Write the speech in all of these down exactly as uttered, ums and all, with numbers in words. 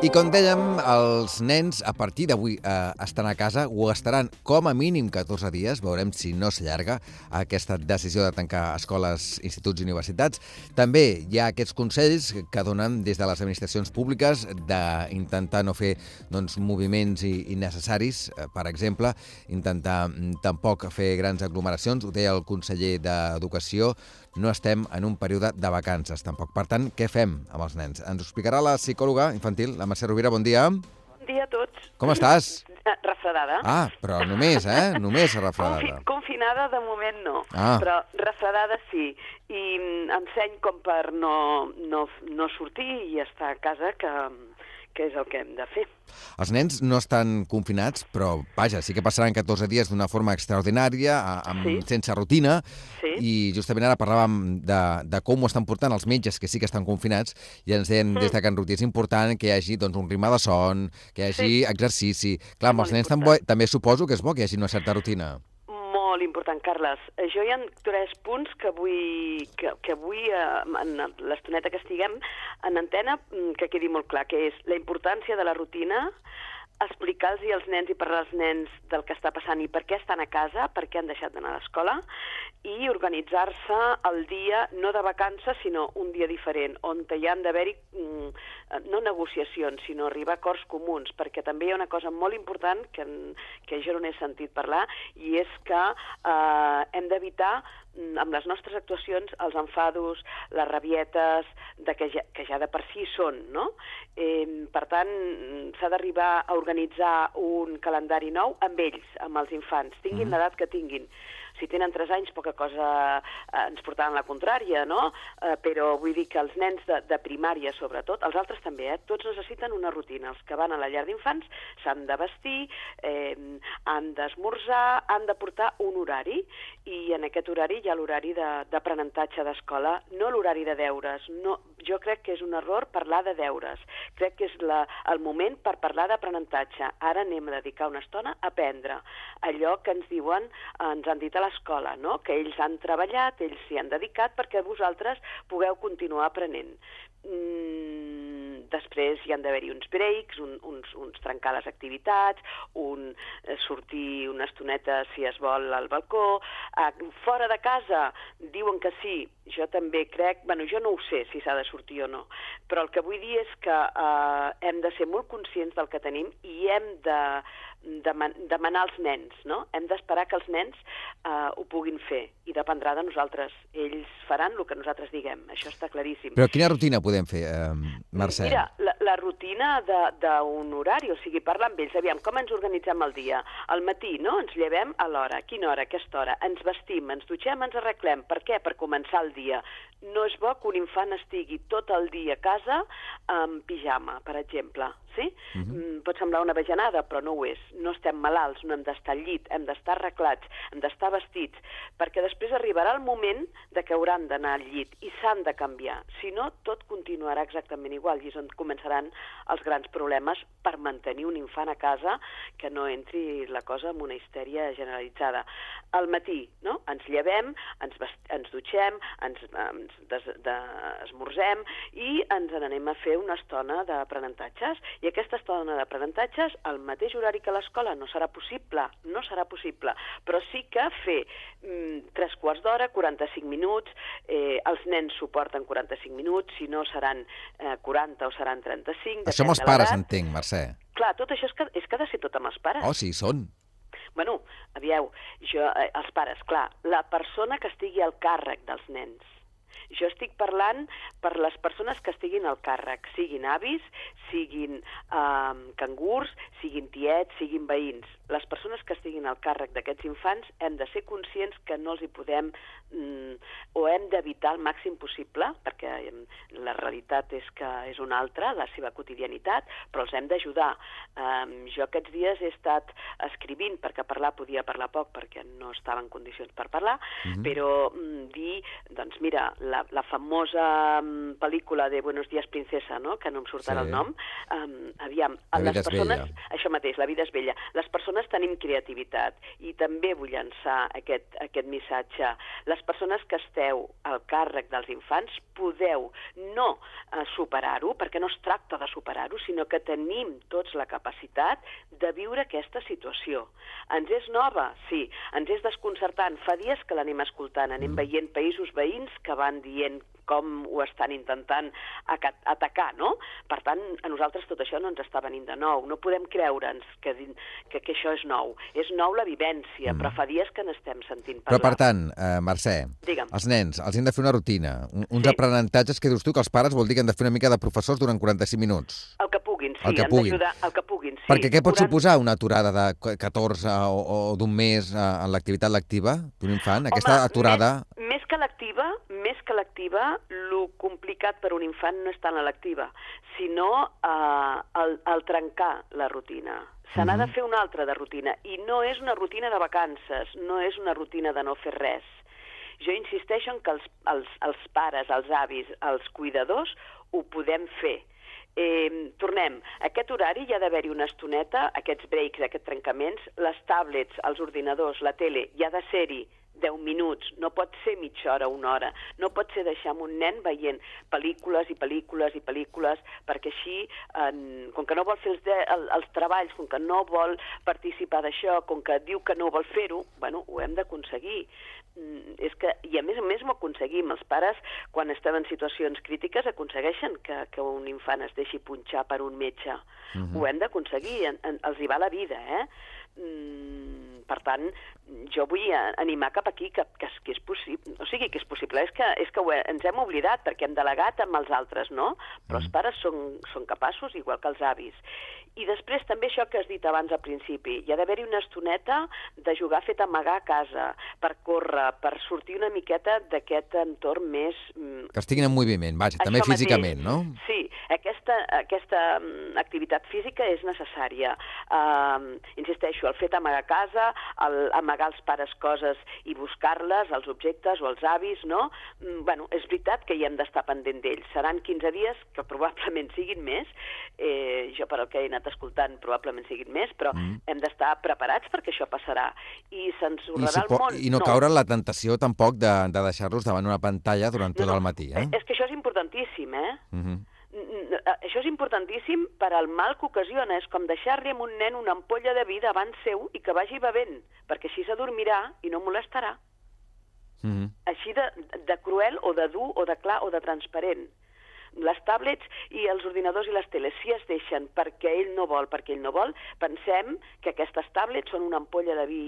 I com dèiem, els nens a partir d'avui eh, estan a casa, ho estaran com a mínim catorze dies, veurem si no s'allarga aquesta decisió de tancar escoles, instituts i universitats. També hi ha aquests consells que donen des de les administracions públiques d'intentar no fer doncs, moviments innecessaris, eh, per exemple, intentar tampoc fer grans aglomeracions, ho deia el conseller d'Educació, no estem en un període de vacances, tampoc. Per tant, què fem amb els nens? Ens ho explicarà la psicòloga infantil, la Mercè Rovira. Bon dia. Bon dia a tots. Com estàs? Refredada. Ah, però només, eh? Només refredada. Confi confinada de moment no, ah. però refredada sí. I enseny com per no, no, no sortir i estar a casa, que, que és el que hem de fer. Els nens no estan confinats, però, vaja, sí que passaran catorze dies d'una forma extraordinària, amb, sí. sense rutina, sí. i justament ara parlàvem de, de com ho estan portant els metges, que sí que estan confinats, i ens deien mm. des de Can Ruti, és important que hi hagi doncs, un ritme de son, que hi hagi sí. exercici. Clar, amb els nens també, també suposo que és bo que hi hagi una certa rutina. Molt important, Carles. Jo hi ha tres punts que vull, que, que vull en l'estoneta que estiguem en antena, que quedi molt clar, que és la importància de la rutina, explicar-los als nens i parlar als nens del que està passant i per què estan a casa, per què han deixat d'anar a l'escola, i organitzar-se el dia, no de vacances, sinó un dia diferent, on hi han d'haver-hi no negociacions, sinó arribar a acords comuns, perquè també hi ha una cosa molt important que, que jo no n'he sentit parlar, i és que eh, hem d'evitar amb les nostres actuacions els enfados, les rabietes, de que, ja, que ja de per si són, no? Eh, per tant, s'ha d'arribar a organitzar un calendari nou amb ells, amb els infants, tinguin mm. l'edat que tinguin. Si tenen tres anys, poca cosa eh, ens portaran la contrària, no? Eh, però vull dir que els nens de, de primària, sobretot, els altres també, eh? Tots necessiten una rutina. Els que van a la llar d'infants s'han de vestir, eh, han d'esmorzar, han de portar un horari, i en aquest horari hi ha l'horari d'aprenentatge d'escola, no l'horari de deures. No, jo crec que és un error parlar de deures. Crec que és la, el moment per parlar d'aprenentatge. Ara anem a dedicar una estona a aprendre allò que ens diuen, ens han dit a l'escola, no? Que ells han treballat, ells s'hi han dedicat perquè vosaltres pugueu continuar aprenent. Mm, després hi han d'haver-hi uns breaks, un, uns, uns trencar les activitats, un eh, sortir una estoneta, si es vol, al balcó. Eh, fora de casa diuen que sí, jo també crec, bueno, jo no ho sé si s'ha de sortir o no, però el que vull dir és que eh, hem de ser molt conscients del que tenim i hem de demanar als nens, no? Hem d'esperar que els nens eh, ho puguin fer i dependrà de nosaltres. Ells faran el que nosaltres diguem, això està claríssim. Però quina rutina podem fer, eh, Mercè? Mira, la, la rutina d'un horari, o sigui, parlar amb ells, aviam, com ens organitzem el dia? Al matí, no? Ens llevem a l'hora, a quina hora, a aquesta hora, ens vestim, ens dutxem, ens arreglem. Per què? Per començar el dia. No és bo que un infant estigui tot el dia a casa amb pijama, per exemple. Sí? Uh-huh. Pot semblar una bajanada, però no ho és. No estem malalts, no hem d'estar al llit, hem d'estar arreglats, hem d'estar vestits, perquè després arribarà el moment de que hauran d'anar al llit i s'han de canviar. Si no, tot continuarà exactament igual i és on començaran els grans problemes per mantenir un infant a casa, que no entri la cosa en una histèria generalitzada. Al matí, no? Ens llevem, ens, ens dutxem, ens, ens des, de, esmorzem i ens n'anem a fer una estona d'aprenentatges. I aquesta estona d'aprenentatges, al mateix horari que l'escola, no serà possible, no serà possible, però sí que fer mm, tres quarts d'hora, quaranta-cinc minuts, eh, els nens suporten quaranta-cinc minuts, si no seran eh, quaranta o seran trenta-cinc. Això amb els pares, entenc, Mercè. Clar, tot això és que, és que ha de ser tot amb els pares. Oh, sí, són. Bueno, avieu, jo, eh, els pares, clar, la persona que estigui al càrrec dels nens. Jo estic parlant per les persones que estiguin al càrrec, siguin avis, siguin eh, cangurs, siguin tiets, siguin veïns. Les persones que estiguin al càrrec d'aquests infants hem de ser conscients que no els hi podem mm, o hem d'evitar el màxim possible, perquè la realitat és que és una altra, la seva quotidianitat, però els hem d'ajudar. Um, jo aquests dies he estat escrivint, perquè parlar podia parlar poc, perquè no estava en condicions per parlar, mm-hmm. però mm, dir, doncs mira, la, la famosa um, pel·lícula de Buenos días, princesa, no?, que no em surt ara sí. el nom, um, aviam, la les vida persones... és bella. Això mateix, la vida és bella. Les persones tenim creativitat i també vull llançar aquest, aquest missatge. Les persones que esteu al càrrec dels infants podeu no uh, superar-ho, perquè no es tracta de superar-ho, sinó que tenim tots la capacitat de viure aquesta situació. Ens és nova? Sí. Ens és desconcertant. Fa dies que l'anem escoltant, anem veient països veïns que van dient com ho estan intentant atacar, no? Per tant, a nosaltres tot això no ens està venint de nou. No podem creure'ns que, que, que això és nou. És nou la vivència, mm. però fa dies que n'estem sentint parlar. Però, per tant, eh, Mercè, Digue'm. Els nens, els hem de fer una rutina, un, uns sí. aprenentatges que dius tu que els pares vol dir que han de fer una mica de professors durant quaranta-cinc minuts. El que puguin, sí, el que han puguin. d'ajudar, el que puguin, sí. Perquè què pot Durant... suposar una aturada de catorze o, o d'un mes en l'activitat lectiva d'un infant? Aquesta Home, aturada... Més, més que lectiva, més que lectiva, lo complicat per un infant no és tant la lectiva, sinó eh, el, el trencar la rutina. Se n'ha uh-huh. de fer una altra de rutina, i no és una rutina de vacances, no és una rutina de no fer res. Jo insisteixo en que els, els, els pares, els avis, els cuidadors, ho podem fer. Eh, tornem, aquest horari hi ha d'haver-hi una estoneta, aquests breaks, aquests trencaments, les tablets, els ordinadors, la tele, hi ha de ser-hi deu minuts, no pot ser mitja hora, una hora, no pot ser deixar un nen veient pel·lícules i pel·lícules i pel·lícules, perquè així, eh, com que no vol fer els, de, el, els treballs, com que no vol participar d'això, com que diu que no vol fer-ho, bueno, ho hem d'aconseguir. Mm, és que, i a més a més m'ho aconseguim. Els pares, quan estem en situacions crítiques, aconsegueixen que, que un infant es deixi punxar per un metge. Uh-huh. Ho hem d'aconseguir, en, en, els hi va la vida, eh? Mm, per tant, jo vull animar cap aquí que, que, que és possible, o sigui, que és possible, és que, és que ho he, ens hem oblidat perquè hem delegat amb els altres, no? Però els pares són, són capaços, igual que els avis. I després també això que has dit abans al principi, hi ha d'haver-hi una estoneta de jugar fet amagar a casa, per córrer, per sortir una miqueta d'aquest entorn més... Que estiguin en moviment, vaja, també físicament, no? Sí, aquesta, aquesta activitat física és necessària. Uh, insisteixo, el fet amagar a casa, el amagar als pares coses i buscar-les, els objectes o els avis, no? Mm, bueno, és veritat que hi hem d'estar pendent d'ells. Seran quinze dies, que probablement siguin més, eh, jo per el que he anat escoltant probablement siguin més, però mm. hem d'estar preparats perquè això passarà. I se'ns horrarà el món. I no, no caure en la tentació tampoc de, de deixar-los davant una pantalla durant tot no, no. el matí, eh? És que això és importantíssim, eh? Mm-hmm. Això és importantíssim per al mal que ocasiona. És com deixar-li a un nen una ampolla de vi davant seu i que vagi bevent, perquè així s'adormirà i no molestarà. Mm-hmm. Així de, de cruel o de dur o de clar o de transparent. Les tablets i els ordinadors i les teles, si es deixen perquè ell no vol, perquè ell no vol, pensem que aquestes tablets són una ampolla de vi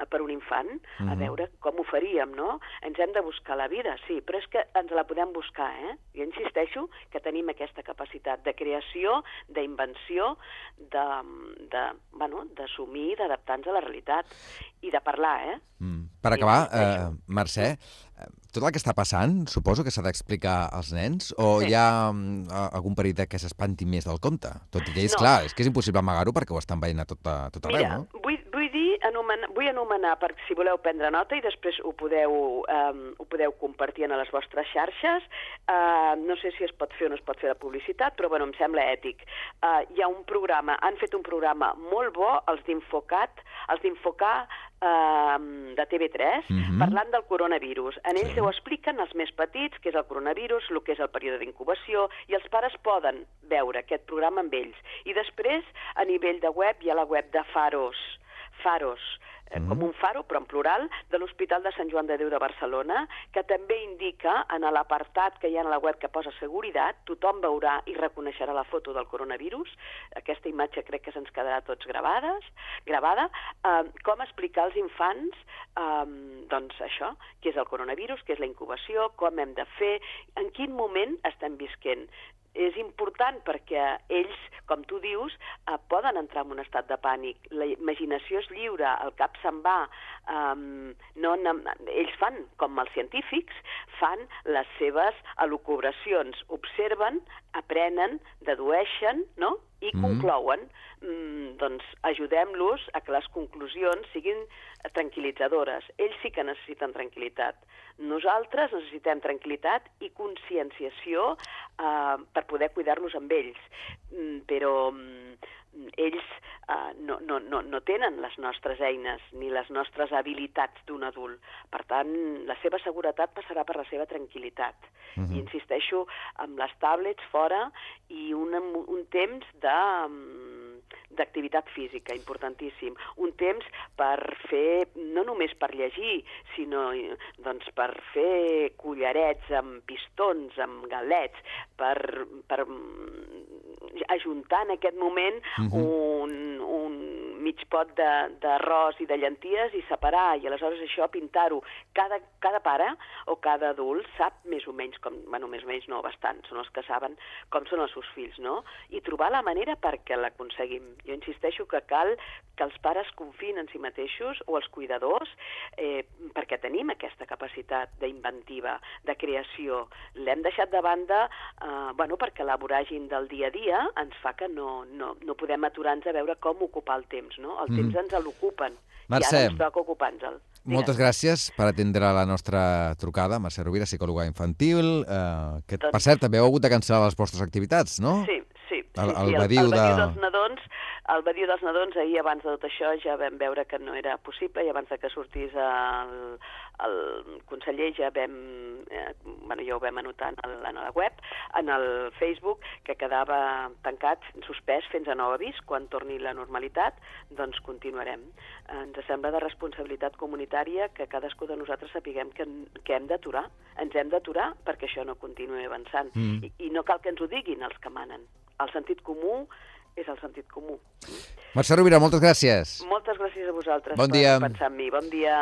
per un infant, mm-hmm. a veure com ho faríem, no? Ens hem de buscar la vida, sí, però és que ens la podem buscar, eh? Jo insisteixo que tenim aquesta capacitat de creació, d'invenció, de, de, bueno, d'assumir, d'adaptar-nos a la realitat i de parlar, eh? Mm. Per acabar, eh, Mercè, tot el que està passant, suposo que s'ha d'explicar als nens, o sí. hi ha um, algun perill que s'espanti més del compte? Tot i que és no. clar, és que és impossible amagar-ho perquè ho estan veient a tot, a tot arreu, Mira, no? Vull, vull dir, anomenar, vull anomenar, per si voleu prendre nota i després ho podeu, um, ho podeu compartir a les vostres xarxes. Uh, no sé si es pot fer o no es pot fer la publicitat, però bueno, em sembla ètic. Uh, hi ha un programa, han fet un programa molt bo, els d'Infocat, els d'Infocar uh, de T V tres, mm-hmm. parlant del coronavirus. En ells sí. ho expliquen els més petits, què és el coronavirus, el que és el període d'incubació, i els pares poden veure aquest programa amb ells. I després, a nivell de web, hi ha la web de Faros, Faros, mm. com un faro, però en plural, de l'Hospital de Sant Joan de Déu de Barcelona, que també indica, en l'apartat que hi ha a la web que posa seguretat, tothom veurà i reconeixerà la foto del coronavirus, aquesta imatge crec que se'ns quedarà tots gravades, gravada, eh, com explicar als infants, eh, doncs això, què és el coronavirus, què és la incubació, com hem de fer, en quin moment estem visquent. És important perquè ells, com tu dius, eh, poden entrar en un estat de pànic. La imaginació és lliure, el cap se'n va. Um, no, no, ells fan, com els científics, fan les seves elucubracions, observen, aprenen, dedueixen, no? I conclouen, mm, doncs ajudem-los a que les conclusions siguin tranquil·litzadores. Ells sí que necessiten tranquil·litat. Nosaltres necessitem tranquil·litat i conscienciació eh, per poder cuidar-los amb ells. Mm, però mm, ells eh, no, no, no, no tenen les nostres eines ni les nostres habilitats d'un adult. Per tant, la seva seguretat passarà per la seva tranquil·litat. Uh-huh. I insisteixo, amb les tablets fora i un, un temps de... d'activitat física, importantíssim. Un temps per fer, no només per llegir, sinó doncs, per fer collarets amb pistons, amb galets, per, per ajuntar en aquest moment uh-huh. un, un mig pot d'arròs i de llenties i separar, i aleshores això pintar-ho. Cada, cada pare o cada adult sap més o menys, com, bueno, més o menys no, bastant, són els que saben com són els seus fills, no? I trobar la manera perquè l'aconseguim. Jo insisteixo que cal que els pares confiïn en si mateixos o els cuidadors eh, perquè tenim aquesta capacitat d'inventiva, de creació. L'hem deixat de banda eh, bueno, perquè la voràgin del dia a dia ens fa que no, no, no podem aturar-nos a veure com ocupar el temps, no? El temps mm. ens l'ocupen i ara ens toca ocupar-nos-el. Moltes gràcies per atendre la nostra trucada. Mercè Rovira, psicòloga infantil, eh, que doncs... per cert també heu hagut de cancel·lar les vostres activitats, no? Sí, sí. El, sí, el, sí. badiu el, el de... badiu dels nadons, el badiu dels nadons, ahir abans de tot això ja vam veure que no era possible i abans de que sortís el, el conseller ja vam, eh, bueno, ja ho vam anotar en, el, en la web, en el Facebook, que quedava tancat, suspès fins a nou avís. Quan torni la normalitat, doncs continuarem. Ens sembla de responsabilitat comunitària que cadascú de nosaltres sapiguem que, que hem d'aturar. Ens hem d'aturar perquè això no continuï avançant. Mm. I, I no cal que ens ho diguin els que manen. El sentit comú és el sentit comú. Mercè Rovira, moltes gràcies. Moltes gràcies a vosaltres bon dia. per pensar en mi. Bon dia.